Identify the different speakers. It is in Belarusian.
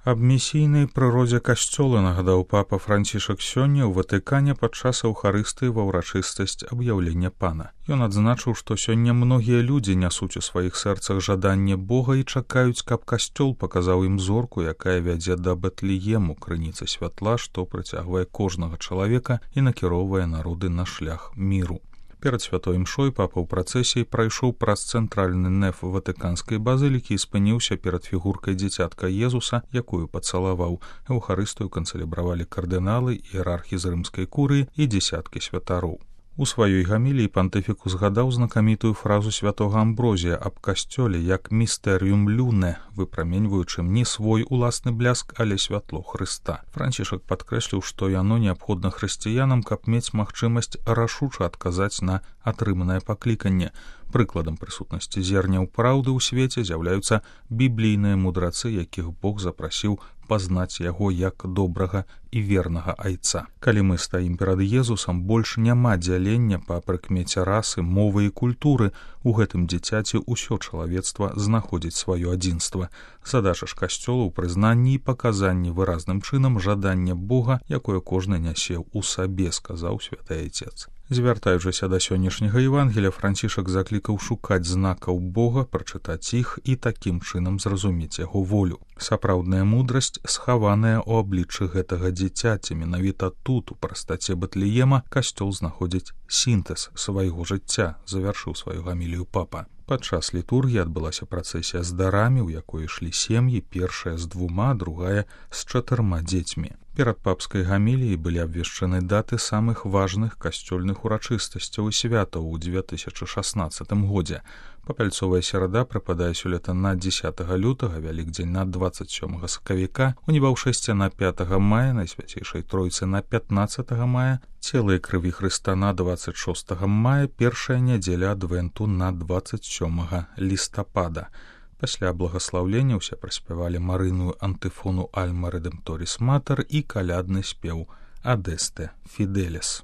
Speaker 1: Аб місійнай прыродзе касцёла нагадаў папа Францішак сёння ў Ватыкане падчас аўхарыстыі ва ўрачыстасць аб'яўлення пана. Ён адзначыў, што сёння многія людзі нясуць у сваіх сэрцах жаданне Бога і чакаюць, каб касцёл паказаў ім зорку, якая вядзе да Бэтлеему, крыніцы святла, што прыцягвае кожнага чалавека і накіроўвае народы на шлях міру. Перад святой імшой папа ў працэсіі прайшоў праз цэнтральны неф ватыканскай базылікі і спыніўся перад фігуркай дзіцятка Езуса, якую пацалаваў. Эўхарыстыю канцэлебравалі кардыналы, іерархі з рымскай курыі і дзесяткі святароў. У сваёй гаміліі пантыфік узгадаў знакамітую фразу святога Амброзія аб касцёле як «містэріум люне», выпраменьваючым не свой уласны бляск, але святло Хрыста. Францішак падкрэсліў, што яно неабходна хрысціянам, каб мець магчымасць рашуча адказаць на атрыманае пакліканне. Прыкладам прысутнасці зерняў праўды ў свеце з'яўляюцца біблійныя мудрацы, якіх Бог запрасіў пазнаць яго як добрага і вернага айца. Калі мы стаім перад Езусам, больш няма дзялення па прыкмеце расы, мовы і культуры. У гэтым дзіцяці ўсё чалавецтва знаходзіць сваё адзінства. Задача ж касцёла ў прызнанні і паказанні выразным чынам жадання Бога, якое кожны нясе ў сабе, сказаў святы айцец. Звяртаючыся да сённяшняга Евангелія, Францішак заклікаў шукаць знакаў Бога, прачытаць іх і такім чынам зразумець яго волю. Сапраўдная мудрасць схаваная ў абліччы гэтага дзіцяці. Менавіта тут, у прастаце Бэтлеема, касцёл знаходзіць сінтэз свайго жыцця, завяршыў сваю гамілію папа. Падчас літургіі адбылася працэсія з дарамі, у якой ішлі сем'і, першая з 2, другая з 4 дзецьмі. Перад папскай гаміліяй былі абвешчаны даты самых важных касцёльных урачыстасцяў і святаў у 2016 годзе. Папяльцовая серада прыпадае сёлета на 10 лютага, Вялікдзень на 27 сакавіка, уніваўшэсце на 5 мая, Найсвяцейшай Тройцы на 15 мая, Цела і крыві Хрыста на 26 мая, першая нядзеля адвенту на 27 лістапада. Пасля благаслаўлення ўсе праспявалі марыную антыфону «Альма Редемторис Матер» і калядны спеў «Адесте Фіделес».